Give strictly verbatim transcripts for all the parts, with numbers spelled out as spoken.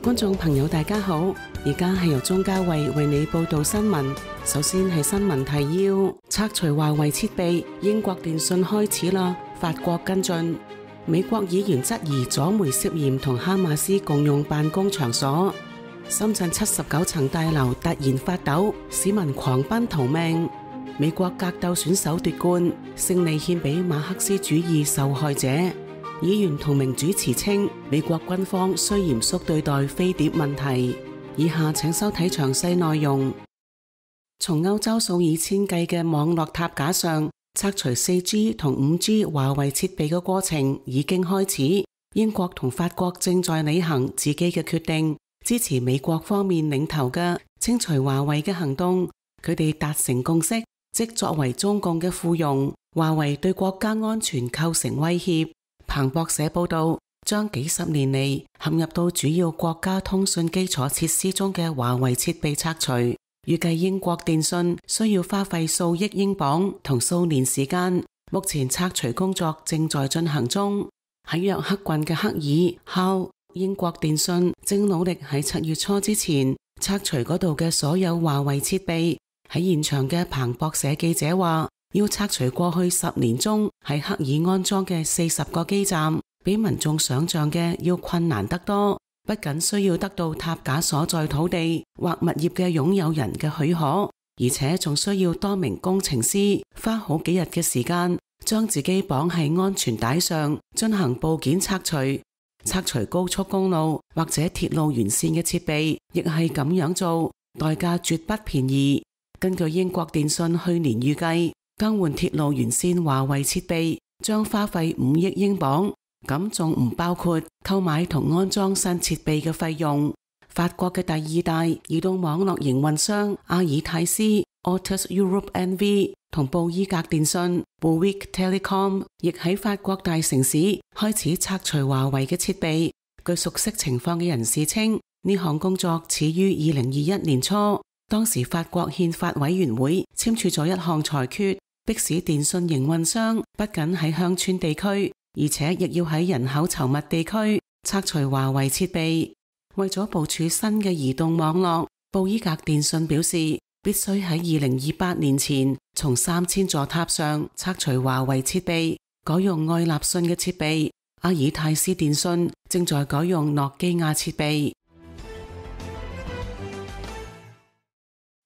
觀眾朋友大家好，而家係由鍾嘉慧為你報道新聞。首先係新聞提要：拆除華為設備，英國電訊開始啦，法國跟進。美國議員質疑左媒涉嫌同哈馬斯共用辦公場所。深圳七十九層大樓突然發抖，市民狂奔逃命。美國格鬥選手奪冠，勝利獻俾馬克思主義受害者。議員同名主持稱，美國軍方需嚴肅對待飛碟問題。以下請收睇詳細內容。從歐洲數以千計嘅網絡塔架上拆除四 G 同五 G 華為設備嘅過程已經開始。英國同法國正在履行自己嘅決定，支持美國方面領頭嘅清除華為嘅行動。佢哋達成共識，即作為中共嘅附庸，華為對國家安全構成威脅。彭博社報道，將幾十年嚟陷入到主要國家通訊基礎設施中嘅華為設備拆除，預計英國電信需要花費數億英鎊同數年時間。目前拆除工作正在進行中。喺約克郡嘅克爾考，英國電信正努力喺七月初之前拆除嗰度嘅所有華為設備。喺現場嘅彭博社記者話，要拆除過去十年中喺克爾安裝嘅四十個基站，比民眾想象嘅要困難得多。不僅需要得到塔架所在土地或物業嘅擁有人嘅許可，而且仲需要多名工程師花好幾日嘅時間，將自己綁喺安全帶上進行部件拆除。拆除高速公路或者鐵路沿線嘅設備，亦係咁樣做，代價絕不便宜。根據英國電訊去年預計，更換鐵路沿線華為設備將花費五億英鎊，咁仲唔包括購買同安裝新設備嘅費用。法國嘅第二大移動網絡營運商阿爾泰斯 Altus Europe N V 同布伊格電訊 Bouygues Telecom 亦喺法國大城市開始拆除華為嘅設備。據熟悉情況嘅人士稱，呢項工作始於二零二一年初，當時法國憲法委員會簽署咗一項裁決，迫使電訊營運商不僅喺鄉村地區，而且亦要喺人口稠密地區拆除華為設備。為咗部署新嘅移動網絡，布伊格電訊表示必須喺二零二八年前從三千座塔上拆除華為設備，改用愛立信嘅設備。阿爾泰斯電訊正在改用諾基亞設備。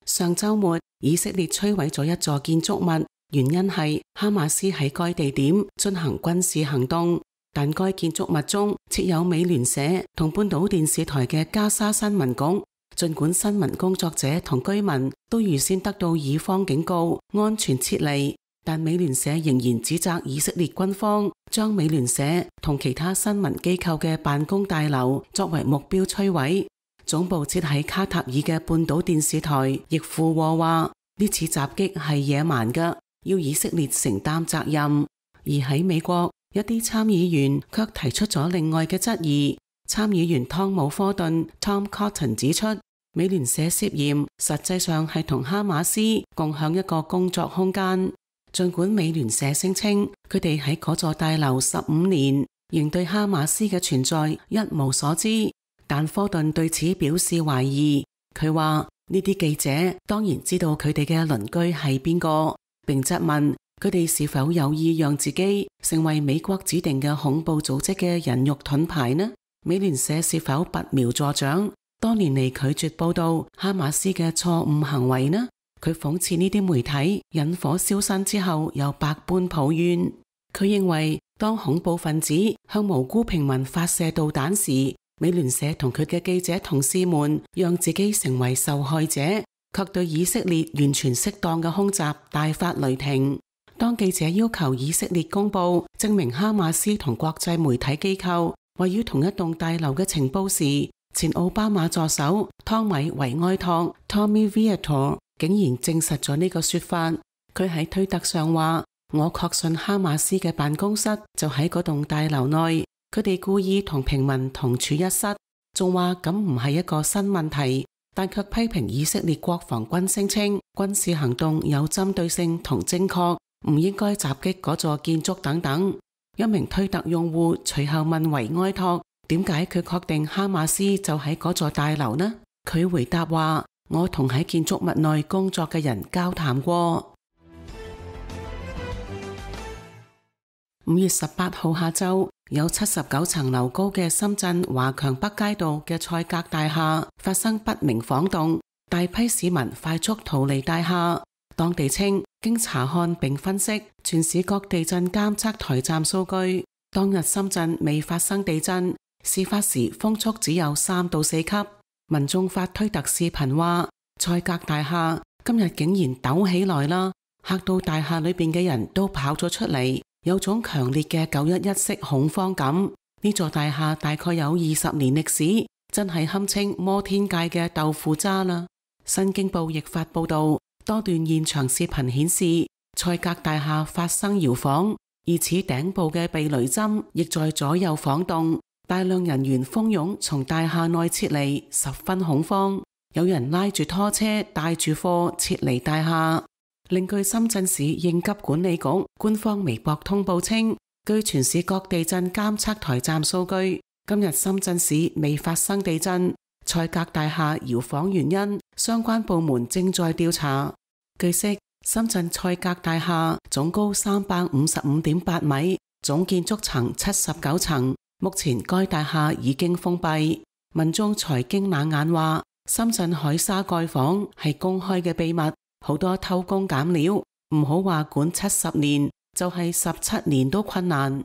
上週末，以色列摧毀咗一座建築物，原因係哈馬斯喺該地點進行軍事行動。但該建築物中設有美聯社同半島電視台嘅加沙新聞局。儘管新聞工作者同居民都預先得到以方警告，安全撤離，但美聯社仍然指責以色列軍方將美聯社同其他新聞機構嘅辦公大樓作為目標摧毀。總部設喺卡塔爾嘅半島電視台亦附和話，呢次襲擊係野蠻嘅，要以色列承擔責任。而喺美國，一啲參議員卻提出咗另外嘅質疑。參議員湯姆科頓 Tom Cotton 指出，美聯社涉嫌實際上係同哈馬斯共享一個工作空間。儘管美聯社聲稱佢哋喺嗰座大樓十五年，仍對哈馬斯嘅存在一無所知，但科頓對此表示懷疑。佢話呢啲記者當然知道佢哋嘅鄰居係邊個，並質問佢哋是否有意讓自己成為美國指定嘅恐怖組織嘅人肉盾牌呢？美聯社是否拔苗助長，多年嚟拒絕報道哈馬斯嘅錯誤行為呢？佢諷刺呢啲媒體引火燒身之後又百般抱怨。佢認為當恐怖分子向無辜平民發射導彈時，美聯社同佢嘅記者同事們讓自己成為受害者，卻對以色列完全適當嘅空襲大發雷霆。當記者要求以色列公布證明哈馬斯同國際媒體機構位於同一棟大樓嘅情報時，前奧巴馬助手湯米維埃托 Tommy Vietor 竟然證實咗呢個說法。佢喺推特上話，我確信哈馬斯嘅辦公室就喺嗰棟大樓內，佢哋故意同平民同處一室，仲話咁唔係一個新問題，但卻批評以色列國防軍聲稱軍事行動有針對性同正確，唔應該襲擊嗰座建築等等。一名推特用戶隨後問維埃托點解佢確定哈馬斯就喺嗰座大樓呢？佢回答話：我同喺建築物內工作嘅人交談過。五月十八號下晝，有七十九層樓高嘅深圳華強北街道嘅賽格大廈發生不明晃動，大批市民快速逃離大廈。當地稱，經查看並分析全市各地震監測台站數據，當日深圳未發生地震，事發時風速只有三到四級。民眾發推特視頻話，賽格大廈今日竟然抖起來啦，嚇到大廈裏邊嘅人都跑咗出嚟，有種強烈嘅九一一式恐慌感。呢座大廈大概有二十年歷史，真係堪稱摩天界嘅豆腐渣啦。新京報亦發報道，多段現場視頻顯示，賽格大廈發生搖晃，而此頂部嘅避雷針亦在左右晃動，大量人員蜂擁從大廈內撤離，十分恐慌。有人拉住拖車帶住貨撤離大廈。另據深圳市應急管理局官方微博通報稱，據全市各地震監測台站數據，今日深圳市未發生地震。賽格大廈搖晃原因，相關部門正在調查。據悉，深圳賽格大廈總高三百五十五點八米，總建築層七十九層。目前該大廈已經封閉。民眾才經冷眼話，深圳海沙蓋房係公開嘅秘密，好多偷工減料，唔好話管七十年，就係十七年都困難。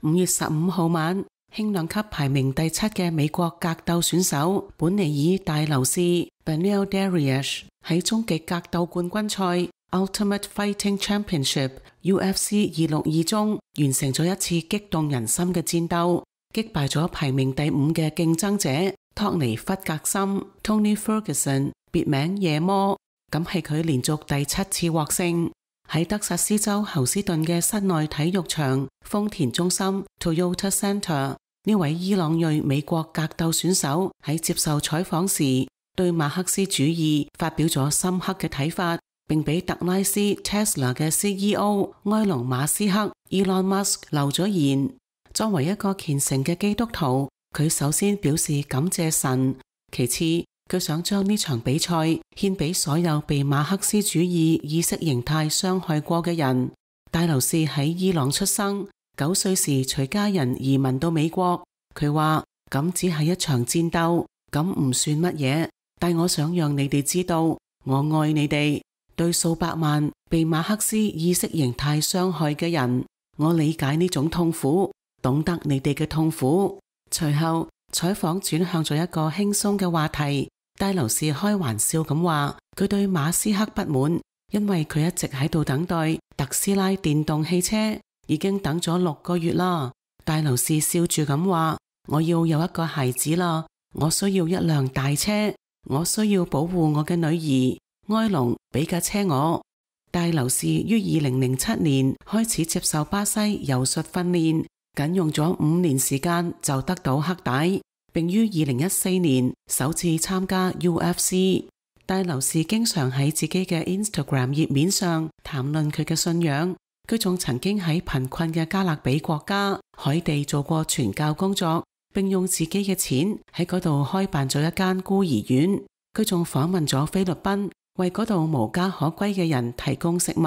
五月十五號晚，輕量級排名第七嘅美國格鬥選手本尼爾戴留士 Beneil Dariush 喺終極格鬥冠軍賽 Ultimate Fighting Championship U F C 二六二中完成咗一次激動人心嘅戰鬥，擊敗咗排名第五嘅競爭者托尼弗格森 Tony Ferguson 別名夜魔，咁係佢連續第七次獲勝。喺德薩斯州侯斯頓嘅室內體育場豐田中心 Toyota Center， 呢位伊朗裔美國格鬥選手喺接受採訪時，對馬克思主義發表咗深刻嘅睇法，並俾特拉斯 Tesla 嘅 C E O 埃隆馬斯克 Elon Musk 留咗言。作為一個虔誠嘅基督徒，佢首先表示感謝神，其次佢想將呢場比賽獻俾所有被馬克思主義意識形態傷害過嘅人。戴留士喺伊朗出生，九歲時隨家人移民到美國。佢話咁只係一場戰鬥，咁唔算乜嘢，但我想讓你哋知道，我愛你哋。對數百萬被馬克思意識形態傷害嘅人，我理解呢種痛苦，懂得你哋嘅痛苦。隨後採訪轉向咗一個輕鬆嘅話題，戴留士開玩笑咁話，佢對馬斯克不滿，因為佢一直喺度等待特斯拉電動汽車，已經等咗六個月啦。戴留士笑住咁話，我要有一個孩子啦，我需要一輛大車，我需要保護我嘅女兒。埃隆俾架車我。戴留士於二零零七年開始接受巴西柔術訓練，僅用咗五年時間就得到黑帶，並於二零一四年首次參加 U F C。戴留士經常喺自己嘅 Instagram 頁面上談論佢嘅信仰，佢仲曾經喺貧困嘅加勒比國家海地做過傳教工作，並用自己嘅錢喺嗰度開辦咗一間孤兒院。佢仲訪問咗菲律賓，為嗰度無家可歸嘅人提供食物，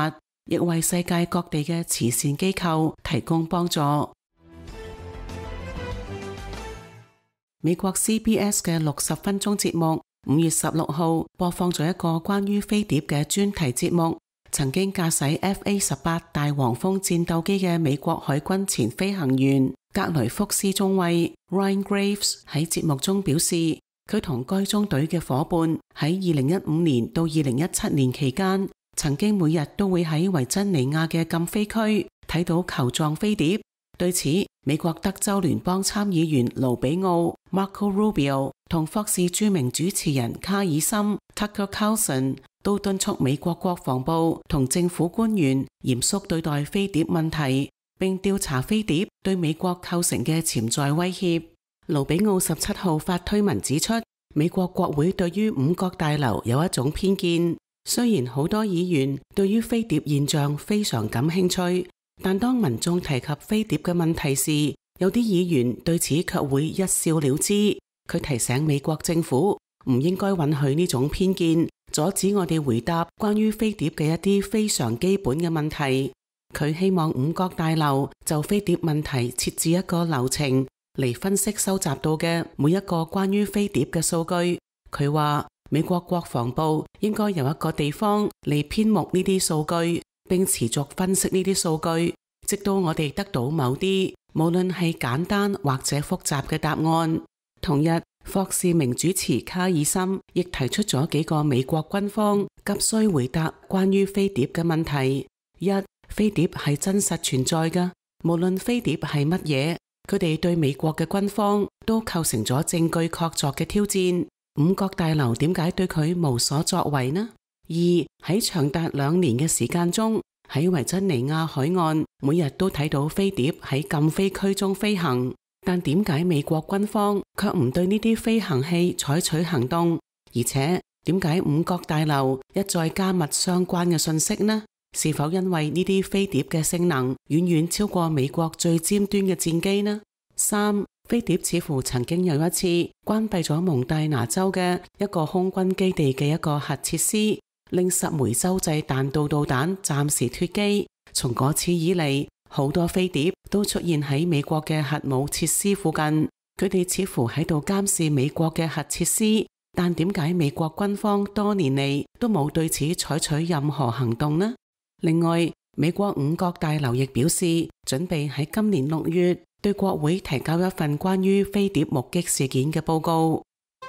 亦為世界各地嘅慈善機構提供幫助。美國 C B S 嘅六十分鐘節目五月十六號播放咗一個關於飛碟嘅專題節目。曾經駕駛 F A 十八大黃蜂戰鬥機嘅美國海軍前飛行員格雷福斯中尉 Ryan Graves 喺節目中表示，佢同該中隊嘅伙伴喺二零一五年到二零一七年期間，曾經每日都會喺維珍尼亞嘅禁飛區睇到球狀飛碟。對此，美國德州聯邦參議員盧比奧 Marco Rubio 同霍士著名主持人卡爾森 Tucker Carlson 都敦促美國國防部同政府官員嚴肅對待飛碟問題，並調查飛碟對美國構成嘅潛在威脅。盧比奧十七號發推文指出，美國國會對於五角大樓有一種偏見，雖然好多議員對於飛碟現象非常感興趣，但當民眾提及飛碟嘅問題時，有啲議員對此卻會一笑了之。佢提醒美國政府唔應該允許呢種偏見，阻止我哋回答關於飛碟嘅一啲非常基本嘅問題。佢希望五角大樓就飛碟問題設置一個流程嚟分析收集到嘅每一個關於飛碟嘅數據。佢話美國國防部應該有一個地方嚟編目呢啲數據，並持續分析呢啲數據，直到我哋得到某啲無論係簡單或者複雜嘅答案。同日，霍士明主持卡爾森亦提出咗幾個美國軍方急需回答關於飛碟嘅問題。一、飛碟係真實存在㗎，無論飛碟係乜嘢，佢哋對美國嘅軍方都構成咗證據確鑿嘅挑戰。五角大樓點解對佢無所作為呢？二、喺長達兩年嘅時間中，喺維珍尼亞海岸每日都睇到飛碟喺禁飛區中飛行，但點解美國軍方卻唔對呢啲飛行器採取行動？而且點解五角大樓一再加密相關嘅信息呢？是否因為呢啲飛碟嘅性能遠遠超過美國最尖端嘅戰機呢？三、飛碟似乎曾經有一次關閉咗蒙大拿州嘅一個空軍基地嘅一個核設施，令十枚洲際彈道導彈暫時脫機。從嗰次以嚟，好多飛碟都出現喺美國嘅核武設施附近，佢哋似乎喺度監視美國嘅核設施。但點解美國軍方多年嚟都冇對此採取任何行動呢？另外，美國五角大樓亦表示，準備喺今年六月對國會提交一份關於飛碟目擊事件嘅報告。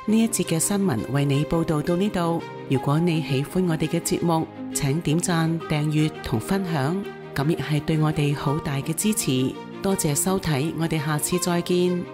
呢一節嘅新聞為你報道到呢度。如果你喜歡我哋嘅節目，請點讚、訂閱同分享，咁亦係對我哋好大嘅支持。多謝收睇，我哋下次再見。